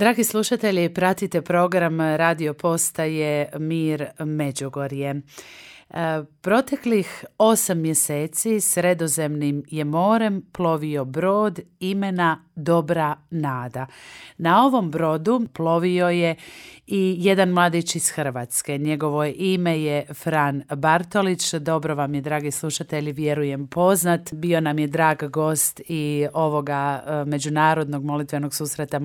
Dragi slušatelji, pratite program radio postaje Mir Međugorje. Proteklih 8 mjeseci Sredozemnim je morem plovio brod imena Dobra nada. Na ovom brodu plovio je i jedan mladić iz Hrvatske. Njegovo ime je Fran Bartolić. Dobro vam je, dragi slušatelji, vjerujem poznat. Bio nam je drag gost i ovoga međunarodnog molitvenog susreta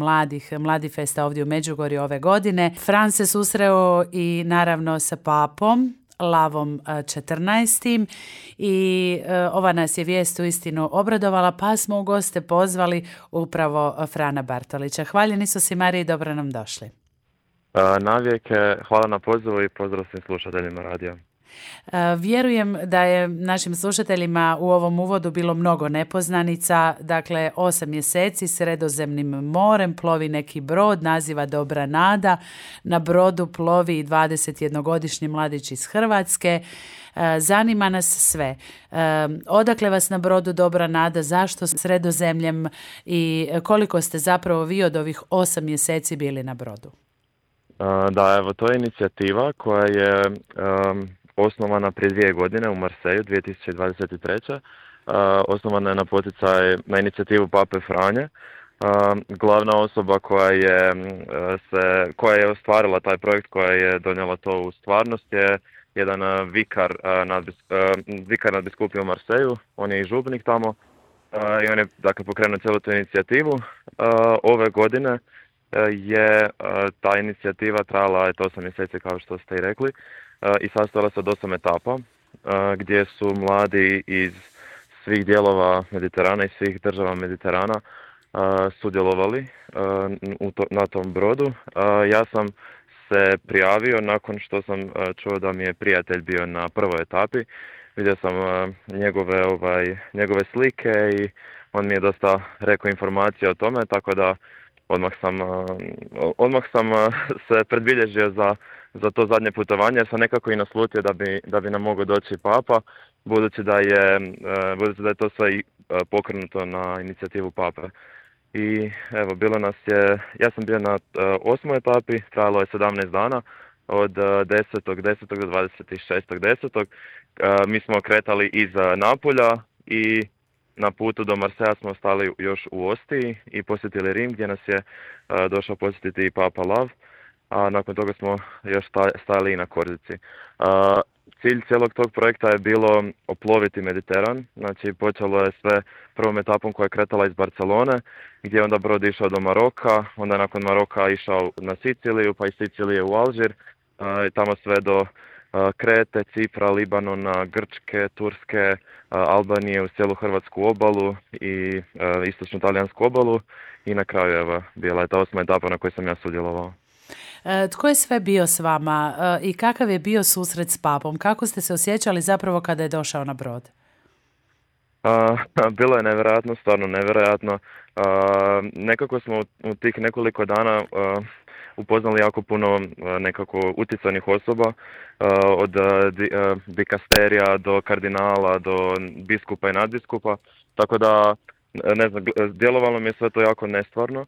Mladi festa ovdje u Međugorju ove godine. Fran se susreo i naravno sa papom Lavom 14. i ova nas je vijest uistinu obradovala, pa smo u goste pozvali upravo Frana Bartolića. Hvaljeni Isus i Mariji, dobro nam došli. Navijek, hvala na pozivu i pozdrav svim slušateljima radija. Vjerujem da je našim slušateljima u ovom uvodu bilo mnogo nepoznanica. Dakle, 8 mjeseci Sredozemnim morem plovi neki brod, naziva Dobra nada. Na brodu plovi 21-godišnji mladić iz Hrvatske. Zanima nas sve. Odakle vas na brodu Dobra nada, zašto Sredozemljem i koliko ste zapravo vi od ovih 8 mjeseci bili na brodu? Da, evo, to je inicijativa koja je osnovana prije 2 godine u Marseju, 2023. Osnovana je na poticaj, na inicijativu Pape Franje. Glavna osoba koja je ostvarila taj projekt, koja je donijela to u stvarnost, je jedan vikar nadbiskupije u Marseju. On je i župnik tamo i on je, dakle, pokrenuo cijelu tu inicijativu. Ove godine je ta inicijativa trajala 8 mjeseci, kao što ste i rekli, i sastojala se od 8 etapa gdje su mladi iz svih dijelova Mediterana i svih država Mediterana sudjelovali na tom brodu. Ja sam se prijavio nakon što sam čuo da mi je prijatelj bio na prvoj etapi. Vidio sam njegove slike i on mi je dosta rekao informacije o tome, tako da odmah sam se predbilježio za to zadnje putovanje, jer sam nekako i naslutio da bi nam mogao doći Papa, budući da je to sve pokrenuto na inicijativu Pape. I evo, ja sam bio na 8. etapi, trajalo je 17 dana, od 10.10. do 26.10. Mi smo kretali iz Napulja i na putu do Marseja smo ostali još u Ostiji i posjetili Rim, gdje nas je došao posjetiti i Papa Lav, a nakon toga smo još stajali i na Korzici. Cilj cijelog tog projekta je bilo oploviti Mediteran. Znači, počelo je sve prvom etapom koja je kretala iz Barcelone, gdje je onda brod išao do Maroka, onda nakon Maroka išao na Siciliju, pa iz Sicilije u Alžir, i tamo sve do Krete, Cipra, Libanona, Grčke, Turske, Albanije, uz cijelu hrvatsku obalu i istočnu talijansku obalu, i na kraju evo, bila je ta 8. etapa na kojoj sam ja sudjelovao. Tko je sve bio s vama i kakav je bio susret s papom? Kako ste se osjećali zapravo kada je došao na brod? Bilo je nevjerojatno, stvarno nevjerojatno. Nekako smo u tih nekoliko dana upoznali jako puno nekako utjecajnih osoba, od dikasterija do kardinala, do biskupa i nadbiskupa, tako da, ne znam, djelovalo mi je sve to jako nestvarno.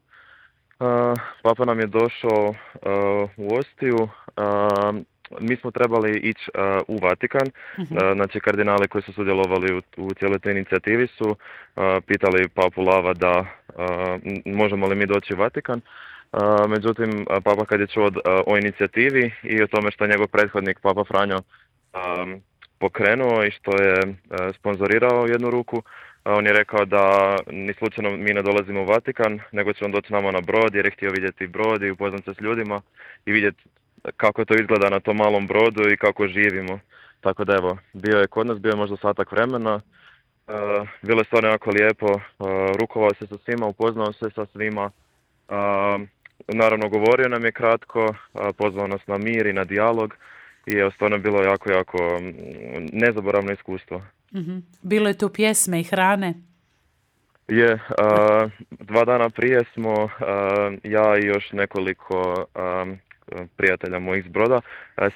Papa nam je došao u Ostiju. Mi smo trebali ići u Vatikan. Znači, kardinali koji su sudjelovali u cijeloj toj inicijativi su pitali Papu Lava da možemo li mi doći u Vatikan. Međutim, Papa kad je čuo o inicijativi i o tome što je njegov prethodnik Papa Franjo pokrenuo i što je sponzorirao jednu ruku, on je rekao da ni slučajno mi ne dolazimo u Vatikan, nego će on doći nama na brod, jer je htio vidjeti brod i upoznat se s ljudima i vidjeti kako to izgleda na tom malom brodu i kako živimo. Tako da evo, bio je kod nas, bio je možda satak vremena, bilo je stvarno jako lijepo, rukovao se sa svima, upoznao se sa svima, naravno govorio nam je kratko, pozvao nas na mir i na dijalog i evo, stvarno je bilo jako, jako nezaboravno iskustvo. Bilo je tu pjesme i hrane? Je, 2 dana prije smo ja i još nekoliko prijatelja mojih s broda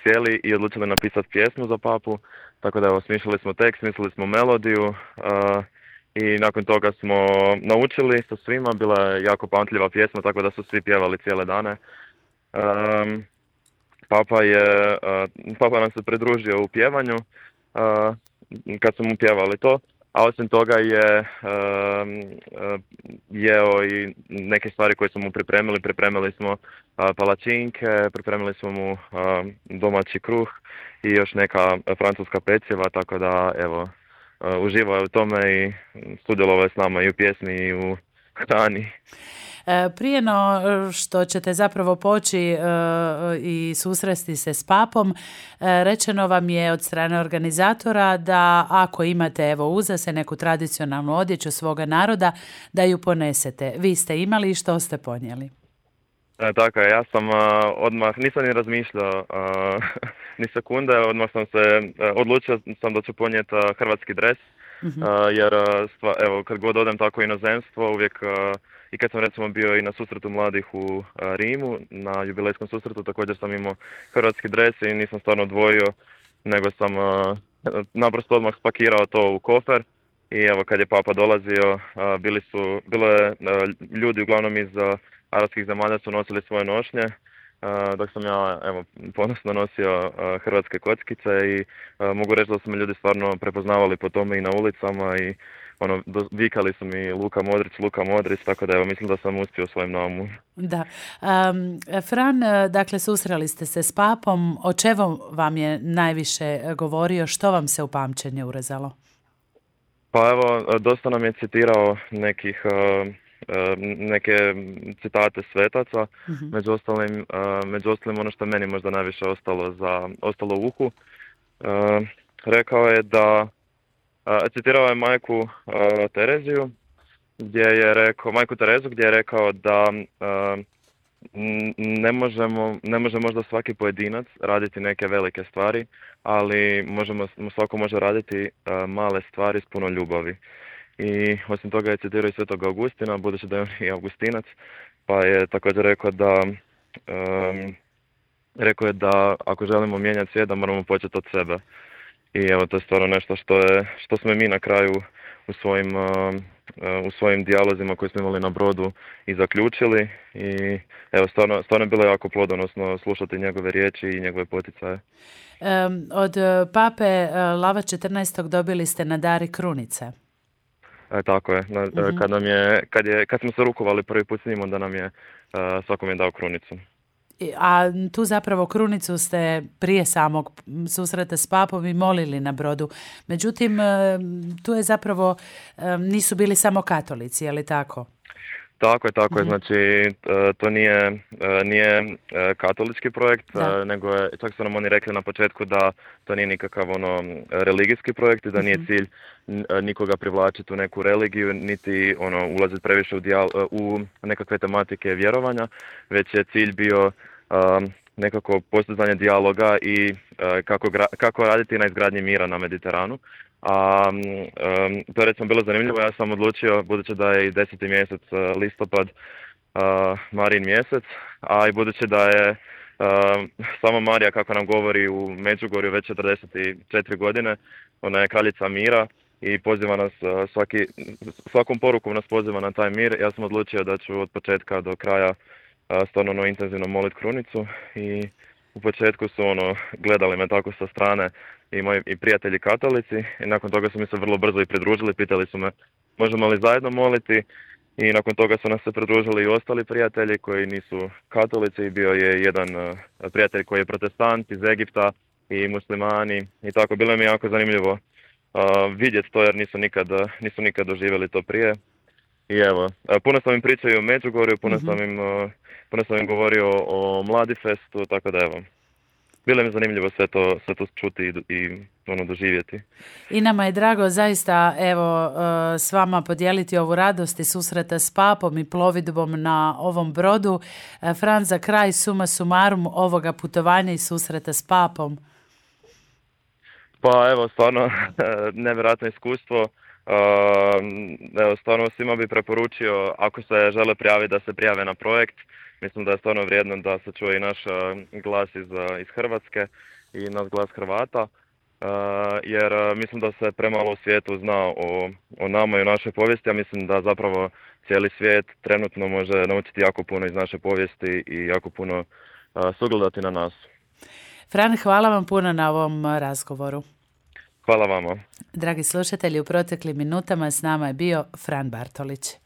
sjeli i odlučili napisati pjesmu za Papu, tako da evo, smišljali smo tekst, smislili smo melodiju i nakon toga smo naučili sa svima, bila je jako pamtljiva pjesma, tako da su svi pjevali cijele dane. Um, Papa nam se pridružio u pjevanju kad smo mu pjevali to, a osim toga je jeo i neke stvari koje smo mu pripremili. Pripremili smo palačinke, pripremili smo mu domaći kruh i još neka francuska peciva, tako da evo, uživao je u tome i sudjelovao je s nama i u pjesmi i u hrani. Prije no što ćete zapravo poći i susresti se s papom, rečeno vam je od strane organizatora da ako imate evo uza se neku tradicionalnu odjeću svoga naroda, da ju ponesete. Vi ste imali i što ste ponijeli? Tako je, ja sam odmah, nisam ni razmišljao ni sekunde, odmah sam se odlučio sam da ću ponijeti hrvatski dres, jer evo, kad god odem tako u inozemstvo, uvijek i kad sam recimo bio i na susretu mladih u Rimu, na jubilejskom susretu, također sam imao hrvatski dres i nisam stvarno odvojio, nego sam naprosto odmah spakirao to u kofer. I evo, kad je papa dolazio, bilo je ljudi uglavnom iz arapskih zemalja su nosili svoje nošnje, dok sam ja evo, ponosno nosio hrvatske kockice i mogu reći da su me ljudi stvarno prepoznavali po tome i na ulicama i vikali su mi Luka Modrić, tako da evo, mislim da sam uspio u svojem naumu. Da. Fran, dakle, susreli ste se s papom, o čemu vam je najviše govorio, što vam se u pamćenje urezalo? Pa evo, dosta nam je citirao neke citate svetaca, među ostalim ono što meni možda najviše ostalo u uhu. Rekao je da citirao je majku Tereziju, majku Terezu gdje je rekao da ne može možda svaki pojedinac raditi neke velike stvari, ali svako može raditi male stvari s puno ljubavi. I osim toga je citirao i Svetog Augustina, budući da je on i Augustinac, pa je također rekao je da ako želimo mijenjati svijet, da moramo početi od sebe. I evo, to je stvarno nešto što smo mi na kraju u svojim dijalozima koje smo imali na brodu i zaključili. I evo, stvarno je bilo jako plodonosno slušati njegove riječi i njegove poticaje. Od pape Lava 14. dobili ste na dar i krunice. Tako je. Kad smo se rukovali prvi put s njim, onda nam je svakom je dao krunicu. A tu zapravo krunicu ste prije samog susreta s papom i molili na brodu. Međutim, tu je zapravo, nisu bili samo katolici, je li tako? Tako je. Znači, to nije katolički projekt, nego je, čak su nam oni rekli na početku da to nije nikakav religijski projekt i da nije cilj nikoga privlačiti u neku religiju, niti ulaziti previše u nekakve tematike vjerovanja, već je cilj bio nekako postizanje dijaloga i kako raditi na izgradnji mira na Mediteranu. To je recimo bilo zanimljivo, ja sam odlučio, budući da je i 10. mjesec listopad Marijin mjesec, a i budući da je sama Marija, kako nam govori u Međugorju, već 44 godine, ona je kraljica mira i poziva nas svakom porukom nas poziva na taj mir. Ja sam odlučio da ću od početka do kraja stvarno intenzivno moliti krunicu i u početku su gledali me tako sa strane i moji prijatelji katolici i nakon toga su mi se vrlo brzo i pridružili, pitali su me možemo li zajedno moliti i nakon toga su nas se pridružili i ostali prijatelji koji nisu katolici i bio je jedan prijatelj koji je protestant iz Egipta i muslimani i tako. Bilo mi je jako zanimljivo vidjeti to jer nisu nikad doživjeli to prije. I evo, puno sam im pričao o Međugorju, puno sam im govorio o Mladifestu, tako da evo, bilo mi zanimljivo sve to čuti i doživjeti. I nama je drago zaista evo s vama podijeliti ovu radost i susreta s papom i plovidbom na ovom brodu. Fran, za kraj suma sumarum ovoga putovanja i susreta s papom. Pa evo, stvarno nevjerojatno iskustvo. Evo, stvarno svima bi preporučio, ako se žele prijaviti, da se prijave na projekt. Mislim da je stvarno vrijedno da se čuje i naš glas iz Hrvatske i naš glas Hrvata. jer mislim da se premalo u svijetu zna o nama i o našoj povijesti, a mislim da zapravo cijeli svijet trenutno može naučiti jako puno iz naše povijesti i jako puno sugledati na nas. Fran, hvala vam puno na ovom razgovoru. Hvala vama. Dragi slušatelji, u proteklim minutama s nama je bio Fran Bartolić.